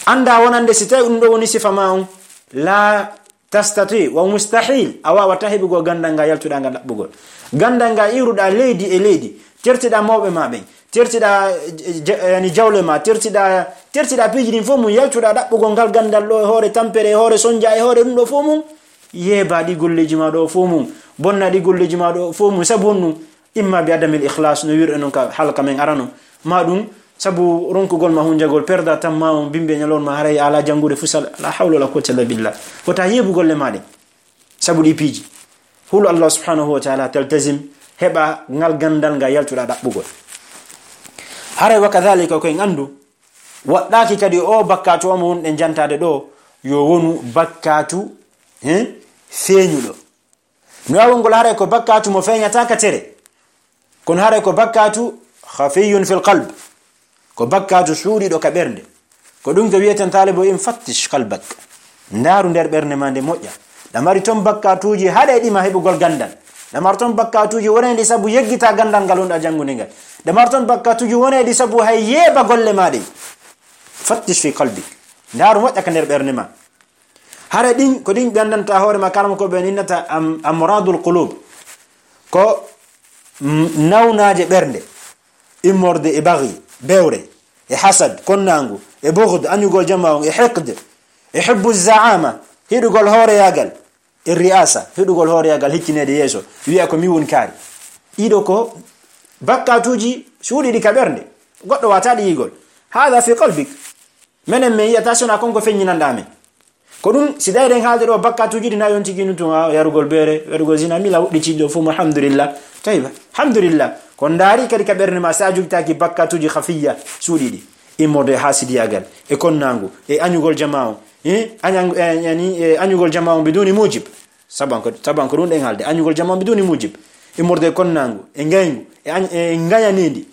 Annda wonande si tawi ɗum ɗo woni sifa ma on, la tastati wa mustahil, a waawata heɓugol ganndal ngal yaltuɗaa ngal ɗaɓɓugol. Ganndal ngal iwruɗaa leydi e leydi, tertiɗaa mawɓe ma ɓen, tertiɗaa, eh, ja-, yani jawle ma, tertiɗaa, tertiɗaa piiji ɗin fof mum, yaltuɗaa ɗaɓɓugol ngal ganndal ɗo e hoore tampere, e hoore sonja, e hoore ɗum ɗo fof mum, yeebaa ɗi golleeji ma ɗo fof mum, bonnaa ɗi golleeji ma ɗo fof mum, sabu honɗum? Imma bi adamil ikhlas, no wirɗe non ka halka men arano, ma ɗum sabu ronkugol ma hunjagol, perda tamma on bimbi e ñalawma, haray a alaa janngude fusal, la hawla wala quwwata illa billah. Wota yeebu golle ma ɗen sabu ɗi piiji. Hulu Allah subhanahu wa ta'ala, taltazim, heɓa ngal ganndal ngal yaltuɗaa ɗaɓɓugol. Haray wa kadhalika ko en anndu, waɗɗaaki kadi o bakkaatu o mo wonɗen jantaade ɗo, yo wonu bakkaatu, he, feeñuɗo. No waawi wongol haray ko bakkaatu mo feeñataa ka tere. Kono haray ko bakkaatu khafiyun fil qalb. Ko bakkaatu suuɗiiɗo ka ɓernde. Ko ɗum ko wiyeten taalibo in, fattish qalbak. Ndaaru nder ɓernde ma nde moƴƴa. Ɗa mari ton bakkaatuuji haɗeeɗi ma heɓugol ganndal. Ɗa mari ton bakkaatuuji woneeɗi sabu yeggita ganndal ngal wonɗa janngude ngal. Ɗa mari ton bakkaatuuji woneeɗi sabu hay yeeba golle ma ɗen. Fattish fi qalbik. Ndaaru moƴƴa ka nder ɓernde ma. Hara ɗin, ko ɗin ɓe anndanta hoore ma, kala mo ko ɓe innata am-, amradul qulub. Ko, mm, nawnaaje ɓernde, immorde e baghi, bewre, e hasad, konnaangu, e bughd, añugol jamaa on, e hiqd, e hubbu zaama, hiɗugol hooreyaagal, e ri'asa, hiɗugol hooreyaagal, hikkineede yeeso, wi'a ko mi woni kaari. Ɗiɗo ko bakkaatuuji suuɗiiɗi ka ɓernde. Goɗɗo waawataa ɗi yi'ugol. Hada fi qalbik. Menen men yi'ata si wonaa kon ko feññinanɗaa men. Ko ɗum, si tawi eɗen haalde ɗo bakkaatuuji ɗi na yonti ginu tun, a, yarugol beere, yarugol zina, mila woɗɗi ciɗɗo fof mo, alhamdulillah. Tawi ba, alhamdulillah. Ko ndaari kadi ka ɓernde ma, si a jogitaaki bakkaatuuji khafiyya, suuɗiiɗi. Immorde e haasidiyaagal, e konnaangu, e añugol jamaa on. Eh, añan-, e, yani, e añugol jamaa on biduni mujib. Saban ko, saban ko ɗum ɗen haalde. Añugol jamaa on biduni mujib. Immorde e konnaangu, e ngayngu, e añ-, e ngayanindi,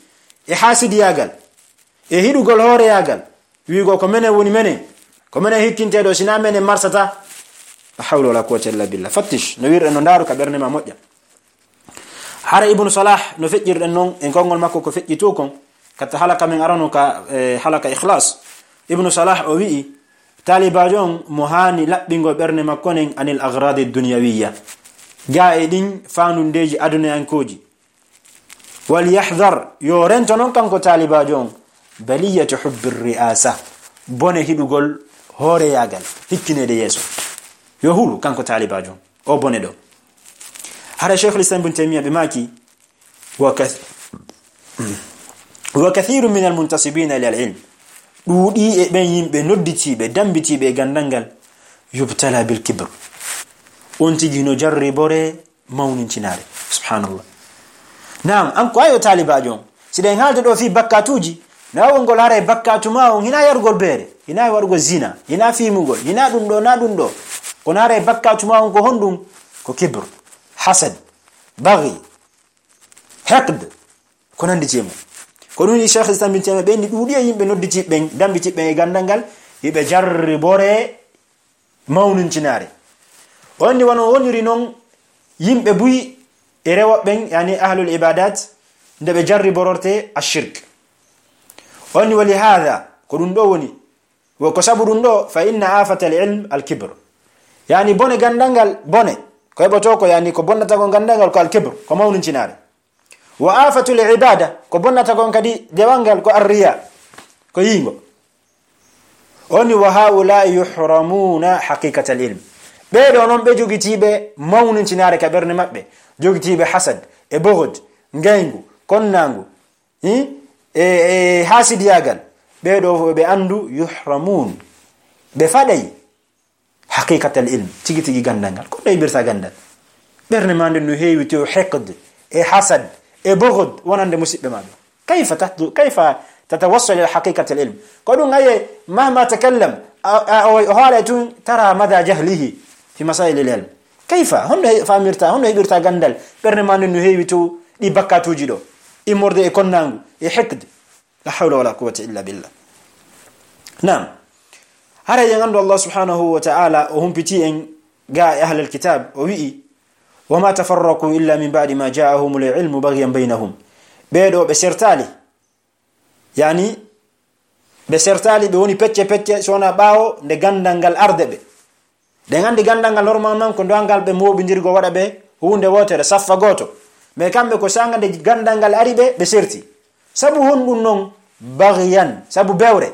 e haasidiyaagal, e hiɗugol hooreyaagal. Wi'ugol ko menen woni menen, ko menen hikkinteeɗo, si na menen marsata. La hawla wala quwwata illa billah. Fattish, no wirɗen no ndaaru ka ɓernde ma moƴƴa. Hara Ibnu Salah, no feƴƴirɗen non e konngol makko ko feƴƴi to kon, katta halaka men arano ka, e, halaka ikhlas. Ibnu Salah o wi'i, taalibaajo on mo haani laɓɓingol ɓernde makko nen anil aghradi dunyawiyya. Gaa e ɗin faandundeeji adunayankooji. Wal yahdhar, yo rento non kanko taalibaajo on, baliyatu hubbi ri'asa, bone hiɗugol hooreyaagal, hikkineede yeeso. Yo hulu kanko taalibaajo on, o bone ɗo. Hara Sheikhul Islam Ibn Taymiyyah ɓe maaki, wa kath-, wa kathiru min al muntasibina ila al ilm, ɗuuɗi e ɓen yimɓe nodditiiɓe, dambitiiɓe e ganndal ngal, yubtala bil kibr, on tigi no jarribore mawnincinaare. Subhanallah. Naam, an ko ayo taalibaajo on. Si ɗen haalde ɗo fii bakkaatuuji, na wongol haray bakkaatu ma on, hina yarugol beere, hina waɗugol zina, hina fiimugol, hina ɗum ɗo, na ɗum ɗo. Kono haray bakkaatu ma on ko honɗum? Ko kibr, hasad, baghi, hiqd, ko nanndi e mum. Ko ɗum Cheikh Islam bin Taymiyya ɓe inni ɗuuɗi e yimɓe nodditiiɓe ɓen, dambitiiɓe ɓen e ganndal ngal, hiɓe jarribore mawnincinaare. O anndi wano woniri non yimɓe buy e rewo ɓen, yani ahlul ibadat, nde ɓe jarribororte ashirk. O anndi wali hada, ko ɗum ɗo woni, wo ko sabu ɗum ɗo, fa inna afata al ilm al kibr. Yani bone ganndal ngal, bone. Ko heɓotoo ko, yani ko bonnata ko ganndal ngal ko al kibr, ko mawnincinaare. Wa afatul ibada, ko bonnata kon kadi dewal ngal, ko arriya, ko yiingo. O ni, wa haula yuhramuna haqiqatal ilm. Ɓee ɗoo noon, ɓe jogitiiɓe mawnincinaare ka ɓernde maɓɓe, jogitiiɓe hasad, e bughd, ngayngu, konnaangu, hi? E, e haasidiyaagal. Ɓee ɗoo fof ɓe anndu, yuhramun. Ɓe faɗay haqiqatal ilm, tigi tigi ganndal ngal. Ko ɗo heɓirta ganndal? Ɓernde maa nden no heewi tew hiqd, e hasad, e bughd, wonande musiɓɓe maa ɓe. كيف تحدث، كيف تتوصل إلى حقيقة العلم؟ Ko ɗum aye, مهما تكلم, a, a, o, o haala tun, ترى مدى جهله في مسائل العلم. كيف؟ Honno he-, faamirta, honno heɓirta ganndal? Ɓernde ma nden no heewi to ɗi bakkatuuji ɗo. Immorde e konnaangu, e hiqd. لا حول ولا قوة إلا بالله. Naam. Haray en anndu Allah subhanahu wa ta'ala o humpiti en ga e ahlal kitab, o wi'i, وما تفرقوا إلا من بعد ما جاءهم العلم بغيا بينهم. Ɓee ɗoo ɓe sertaali. Yani, ɓe sertaali, ɓe woni pecce pecce, so wonaa ɓaawo nde ganndal ngal arde ɓe. Ɗen anndi ganndal ngal normal man ko dowangal ɓe mooɓindirgo waɗa ɓe huunde wootere, saffa gooto. Mais kamɓe ko saanga nde ganndal ngal ari ɓe, ɓe serti. Sabu honɗum non? بغيا, sabu bewre.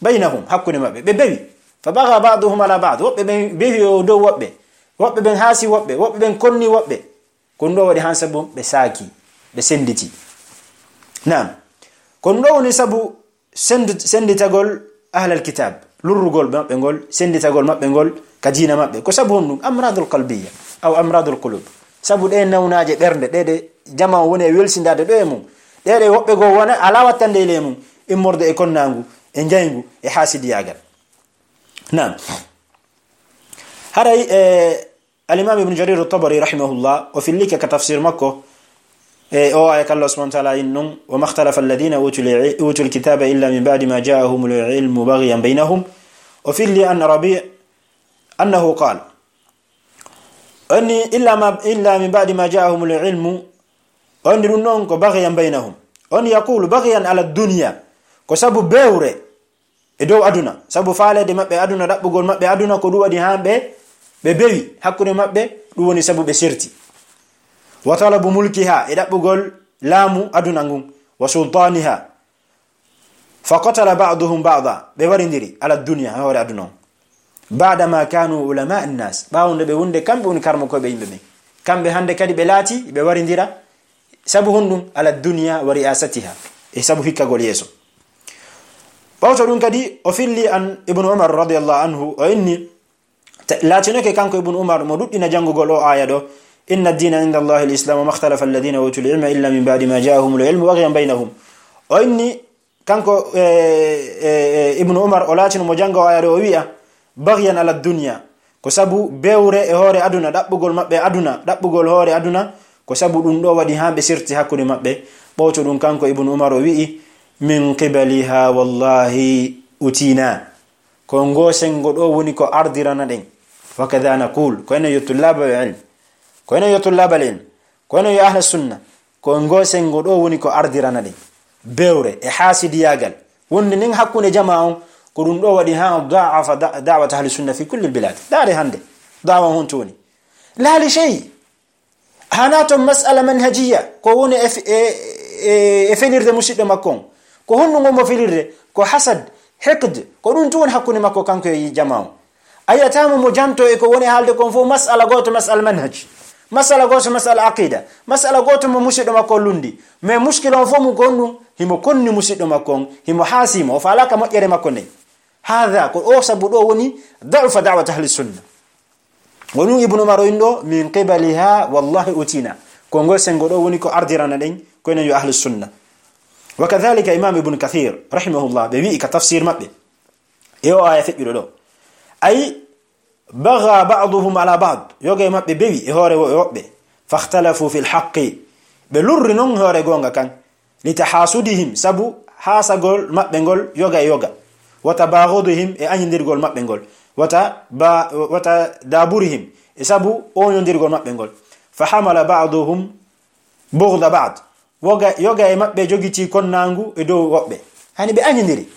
بينهم, hakkunde maɓɓe, ɓe bewi. فبغى بعضهم على بعض, woɓɓe ɓen bewi o dow woɓɓe, woɓɓe ɓen haasi woɓɓe, woɓɓe ɓen konni woɓɓe. Ko ɗum ɗoo waɗi han sabu ɓe saaki, ɓe sennditi. Naam. Ko ɗum ɗoo woni sabu senndu-, sennditagol ahlal kitab, lurrugol maɓɓe ngol, sennditagol maɓɓe ngol ka diina maɓɓe. Ko sabu honɗum? أمراض قلبية أو أمراض القلوب. Sabu ɗee nawnaaje ɓernde, ɗee ɗe jamaa woni e welsindaade ɗo e mum. Ɗee ɗe woɓɓe goo wona alaa wattande e ley mum, immorde e konnaangu, e njayngu, e haasidiyaagal. Naam. Haray, e, Al-Imam Ibn Jarir At-Tabari rahimahullah, o fillike ka tafsir makko, e, o aaya ka Allah subhanahu wa ta'ala in non, وما اختلف الذين أوتوا الع-، أوتوا الكتاب إلا من بعد ما جاءهم العلم بغيا بينهم. O filli an Rabi' أنه قال. O inni, إلا ما، إلا من بعد ما جاءهم العلم. O inni ɗum non ko بغيا بينهم. O inni يقول بغيا على الدنيا. Ko sabu bewre e dow aduna, sabu faaleede maɓɓe aduna, ɗaɓɓugol maɓɓe aduna, ko ɗum waɗi haa ɓe, ɓe bewi hakkunde maɓɓe, ɗum woni sabu ɓe serti. وطلب ملكها, e ɗaɓɓugol laamu aduna ngun, وسلطانها. فقتل بعضهم بعضا, ɓe warindiri على الدنيا, e hoore aduna on. بعدما كانوا علماء الناس, ɓaawo nde ɓe wonde kamɓe woni karmokooɓe yimɓe ɓen. Kamɓe hannde kadi ɓe laati, ɓe warindira, sabu honɗum? على الدنيا ورئاستها, e sabu hikkagol yeeso. Ɓawto ɗum kadi, o filli an Ibnu Umar radiyallahu anhu, o inni, ta-, laatinoke kanko Ibnu Umar mo ɗuɗɗina janngugol o aaya ɗo, إن الدين عند الله الإسلام وما اختلف الذين أوتوا العلم إلا من بعد ما جاءهم العلم بغيا بينهم. O inni, kanko, e, e, e, Ibnu Umar, o laatino mo jannga o aaya ɗo, o wi'a, بغيا على الدنيا. Ko sabu bewre e hoore aduna, ɗaɓɓugol maɓɓe aduna, ɗaɓɓugol hoore aduna, ko sabu ɗum ɗo waɗi haa ɓe serti hakkunde maɓɓe. Ɓawto ɗum kanko Ibnu Umar o wi'i, من قبلها والله أتينا. Ko ngoo senngo ɗo woni ko ardirana ɗen. وكذا نقول, ko enen yo tullabal ilm. Ko enen yo tullabal ilm. Ko enen yo ahla sunna. Ko ngoo senngo ɗo woni ko ardirana ɗen. Bewre e haasidiyaagal wonde nden hakkunde jamaa on, ko ɗum ɗo waɗi haa ضعف دع-، دعوة أهل السنة في كل البلاد. Ndaare hannde, da'wa on honto woni? لا لشيء. Hanaa ton mas'ala manhajiyya, ko woni e f-, e, e, e felirde musiɗɗo makko on. Ko honɗum woni mo felirde? Ko hasad, hiqd, ko ɗum tun woni hakkunde makko kanko e jamaa on. A yi'ataa mo mo janto e ko woni haalde kon fof, mas'ala gooto, mas'ala manhaj. Mas'ala gooto, mas'ala aqida. Mas'ala gooto mo musiɗɗo makko on lundi. Mais muskila on fof mum ko honɗum? Himo konni musiɗɗo makko on, himo haasi mo, o faalaaka moƴƴere makko nden. Haada, ko o sabu ɗo woni ضعف دعوة أهل السنة. Ko ɗum Ibnu Umar o inni ɗo, من قبلها والله أتينا. Ko ngol senngo ɗo woni ko ardirana ɗen, ko enen yo ahlu sunna. وكذلك Imam Ibnu Kathir, rahimahullah, ɓe wi'i ka tafsir maɓɓe, e o aaya feƴƴuɗo ɗo. Ay, بغى بعضهم على بعض. Yoga e maɓɓe bewi e hoore wo-, woɓɓe. فاختلفوا في الحق. Ɓe lurri non e hoore goonga kan. لتحاسدهم, sabu haasagol maɓɓe ngol yoga e yoga. وتباغضهم, e añindirgol maɓɓe ngol. وتبا-، وتدابرهم, e sabu ooñondirgol maɓɓe ngol. فحمل بعضهم بغض بعض. Woga, yoga e maɓɓe jogitii konnaangu e dow woɓɓe. Hani ɓe añindiri.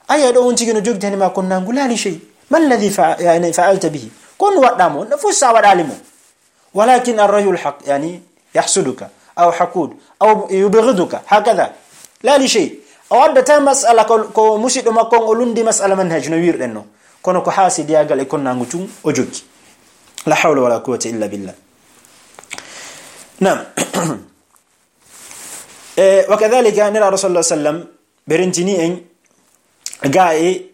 Aya ɗo on tigi no jogitani ma konnaangu, لا لشيء. ما الذي فع-، يعني فعلت به؟ Ko honɗum waɗɗaa mo? No fof sa waɗaali mo. ولكن الرجل حق، يعني يحسدك أو حقود أو يبغضك هكذا. لا لشيء. O addataa mas'ala ko, ko musiɗɗo makko on o lundi mas'ala manhaj no wi'irɗen no. Kono ko haasidiyaagal e konnaangu tun o jogii. لا حول ولا قوة إلا بالله. Naam. E, وكذلك Nelaaɗo صلى الله عليه وسلم ɓe rentini en gaa e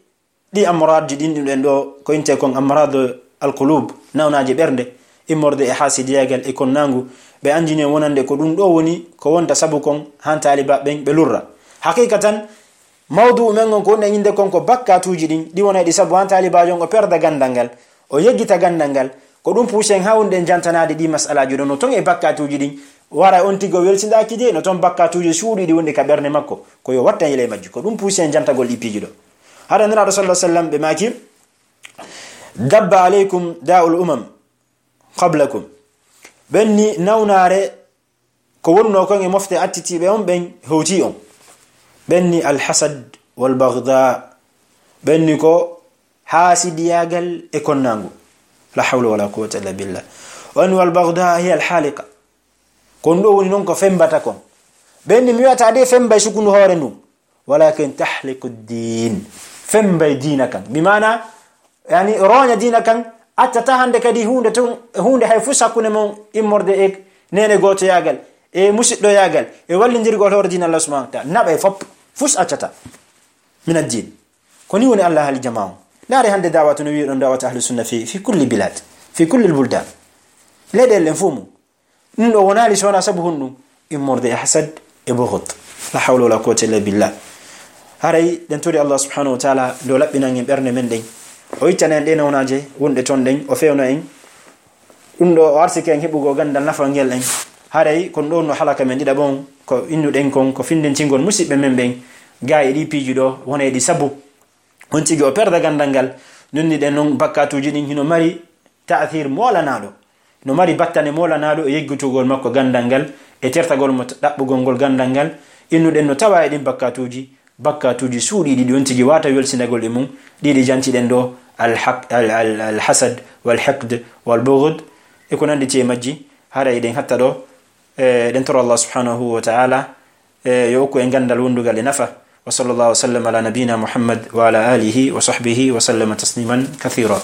ɗi amraadji ɗin ɗum ɗen ɗo ko intee kon أمراض القلوب, nawnaaje ɓernde, immorde e haasidiyaagal e konnaangu, ɓe anndini en wonande ko ɗum ɗo woni ko wonta sabu kon han taalibaaɓe ɓen ɓe lurra. Haqiqa tan, mawduu men on ko woni e innde kon ko bakkatuuji ɗin, ɗi wona e ɗi sabu han taalibaajo on o perda ganndal ngal, o yeggita ganndal ngal. Ko ɗum puusi en haa wonde en jantanaade ɗi masalaaji ɗo, no ton e bakkatuuji ɗin, wara on tigi o welsindaaki de, no ton bakkatuuji suuɗi ɗi wondi ka ɓernde makko, ko yo watta yele majji. Ko ɗum puusi en jantagol ɗi piiji ɗo. Hara Nelaaɗo sallallahu alaihi wasallam ɓe maaki, "Dabba alaikum da'ul umam qablakum." Ɓen ni nawnaare ko wonnoo kon e mofte attitiiɓe on ɓen hewtii on. Ɓen ni alhasad wal baghda. Ɓen ni ko haasidiyaagal e konnaangu. La hawla wala quwwata illa billah. On wal baghda hiya alhaliqa. Kon ɗo woni non ko fembata kon. Ɓen ni mi wiyata de fembay sukundu hoore ndun. Walakin tahliqu ddin. Fembay diina kan. Bi maana, yani, rooña diina kan, accata hande kadi huunde tun, huunde hay fus hakkunde mon immorde e neene gootoyaagal, e musiɗɗoyaagal, e wallindirgol hoore diina Allah subhanahu wa ta'ala. Naɓay fop, fus accata. Min ad-din. Ko ni woni Allah haali jamaa on. Ndaare hande da'watu no wi'i ɗon da'watu ahlu sunna fi, fi kulli bilad, fi kulli buldan. Leyɗeele ɗen fof mum. Ɗum ɗo wonaali so wonaa sabu honɗum? Immorde e hasad e bughd. La hawla wala quwwata illa billah. Haray ɗen tori Allah subhanahu wa ta'ala nde o laɓɓinan en ɓernde men ɗen. O ittana en ɗe nawnaaje wonɗe ton ɗen, o fewna en. Ɗum ɗo o arsike en heɓugol ganndal nafangel en. Haray kon ɗon no halaka men ɗiɗaɓo on, ko innuɗen kon, ko findintingol musiɓɓe men ɓen. Gaa e ɗi piiji ɗo, wona e ɗi sabu on tigi o perda ganndal ngal. Nunniɗen non bakkatuuji ɗin hino mari ta'thir moolanaaɗo. No mari battane moolanaaɗo e yeggitugol makko ganndal ngal, e tertagol mo ɗaɓɓugol ngol ganndal ngal. Innuɗen no tawa e ɗin bakkatuuji, bakkatuuji suuɗiiɗi ɗi on tigi wata welsindagol e mum, ɗiɗi jantiɗen ɗo, al haq-, al, al, al hasad, wal hiqd, wal bughd, e ko nannditi e majji, hara eɗen hatta ɗo, e, ɗen toro Allah subhanahu wa ta'ala, e, yo okku en ganndal wondugal e nafa. Wa sallallahu wa sallam ala nabiyina Muhammad wa ala alihi wa sahbihi wa sallama tasliman kathira.